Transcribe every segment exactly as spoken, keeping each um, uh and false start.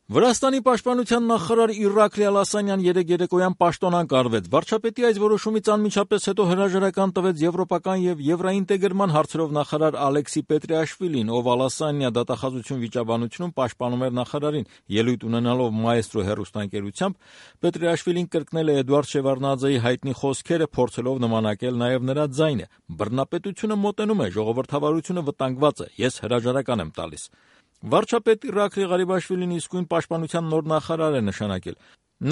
Վրաստանի պաշտպանության նախարար Իրակլի Ալասանյան երեկ երեկոյան պաշտոնանկ արվեց։ Վարչապետի այս որոշումից անմիջապես հետո հրաժարական տվեց եվրոպական եւ եվրաինտեգրման հարցերով նախարար Ալեքսի Պետրիաշվիլին, ով Ալասանյա դատախազություն վիճաբանությունում պաշտպանում էր նախարարին։ Ելույթ ունենալով Մաեստրո հեռուստաընկերությամբ Պետրիաշվիլին կրկնել է Էդուարդ Շևարդնաձեի հայտնի խոսքերը, փորձելով նմանակել նաեւ նրա ձայնը. «Բռնապետությունը մոտենում է, ժողովրդավարությունը վտանգված է, ես հրաժարական եմ տալիս»։ Վարչապետ Իրակլի Ղարիբաշվիլին իսկույն պաշտպանության նոր նախարար է նշանակել։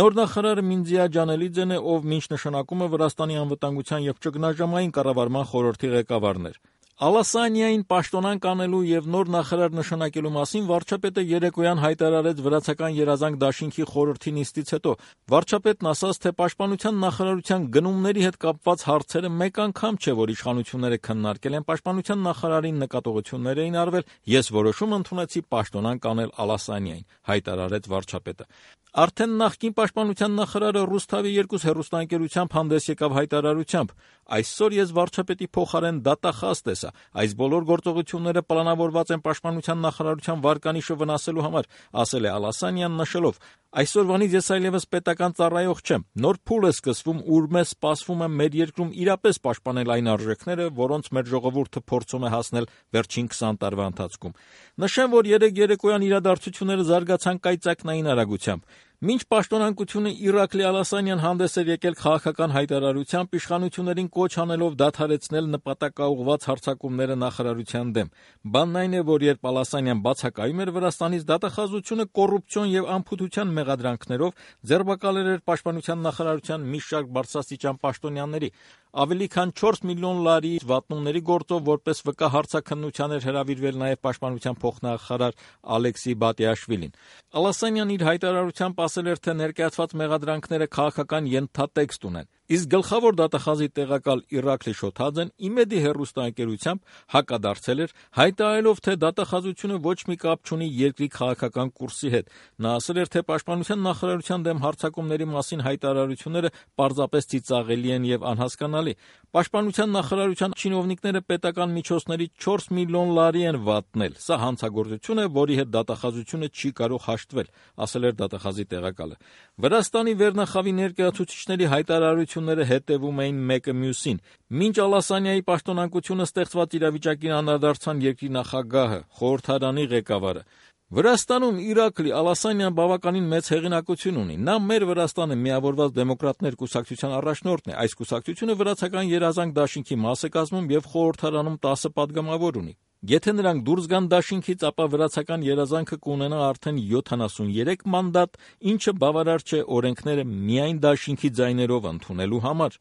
Նոր նախարարը Մինձիա Ջանելիձեն է, ով մինչ նշանակում է Վրաստանի անվտանգության եւ ճգնաժամային կառավարման խորհրդի ղեկավարն էր։ Ալասանյային պաշտոնանկ անելու եւ նոր նախարար նշանակելու մասին վարչապետը երեկոյան հայտարարեց վրացական երազանք դաշինքի խորհրդի նիստից հետո։ Վարչապետն ասաց, թե պաշտպանության նախարարության գնումների հետ կապված հարցերը մեկ անգամ չէ, որ իշխանությունները քննարկել են, պաշտպանության նախարարին նկատողություններ էին արվել, ես որոշում ընդունեցի պաշտոնանկ անել Ալասանյային, հայտարարեց վարչապետը։ Արդեն նախկին պաշտպանության նախարարը Ռուսթավի երկուս հեռուստաընկերությամբ հանդես եկավ հայտարարությամբ. «Այսօր ես վարչապետի փոխարեն դատախազ տեսա, այս բոլոր գործողությունները պլանավորված են պաշտպանության նախարարության վարկանիշը վնասելու համար», ասել է Ալասանյան, նշելով. «Այսօրվանից ես այլևս պետական ծառայող չեմ, նոր փուլ է սկսվում, ուր մեզ սպասվում է մեր երկրում իրապես պաշտպանել այն արժեքները, որոնց մեր ժողովուրդը փորձում է հասնել վերջին քսան տարվա ընթացքում»։ Նշեմ, որ երեկ երեկոյան իրադարձությունները զարգացան կայծակնային արագությամբ։ Մինչ պաշտոնանկությունը Իրակլի Ալասանյան հանդես էր եկել քաղաքական հայտարարությամբ, իշխանություններին կոչ անելով դադարեցնել նպատակաուղղված հարձակումները նախարարության դեմ։ Բանն այն է, որ երբ Ալասանյան բացակայում էր Վրաստանից, դատախազությունը կոռուպցիոն եւ անփութության մեղադրանքներով ձերբակալել էր պաշտպանության նախարարության մի շարք բարձրաստիճան պաշտոնյաների։ Ավելի քան չորս միլիոն լարի վատնումների գործով որպես վկա հարցաքննության էր հրավիրվել նաև պաշտպանության փոխնախարար Ալեքսի Բատիաշվիլին։ Ալասանյան իր հայտարարությամբ ասել էր, թե ներկայացված մեղադրանքները քաղաքական ենթատեքստ ունեն։ Իսկ գլխավոր դատախազի տեղակալ Իրակլի Շոթաձեն իմեդի հեռուստաընկերությամբ հակադարձել էր, հայտարարելով, թե դատախազությունը ոչ մի կապ չունի երկրի քաղաքական կուրսի հետ։ Նա ասել էր, թե պաշտպանության նախարարության դեմ հարձակումների մասին հայտարարությունները պարզապես ծիծաղելի են եւ անհասկանալի։ Պաշտպանության նախարարության չինովնիկները պետական միջոցների չորս միլիոն լարի են վատնել։ Սա հանցագործություն է, որի հետ դատախազությունը չի կարող հաշտվել, ասել էր դատախազի տեղակալը։ Վրաստանի վերնախավի ներկայացուցիչների հայտարարությունները հետևում էին մեկը մյուսին։ Մինչ Ալասանյայի պաշտոնանկությունը ստեղծված իրավիճակին անդրադարձան երկրի նախագահը, խորհրդարանի ղեկավարը։ Վրաստանում Իրակլի Ալասանյան բավականին մեծ հեղինակություն ունի։ Նա մեր Վրաստանը միավորված դեմոկրատներ կուսակցության առաջնորդն է։ Այս կուսակցությունը վրացական երազանք դաշինքի մաս է կազմում եւ խորհրդարանում տասը պատգամավոր ունի։ Եթե նրանք դուրս գան դաշինքից, ապա վրացական երազանքը կունենա արդեն յոթանասունյերեք մանդատ, ինչը բավարար չէ օրենքները միայն դաշինքի ձայներով ընդունելու համար։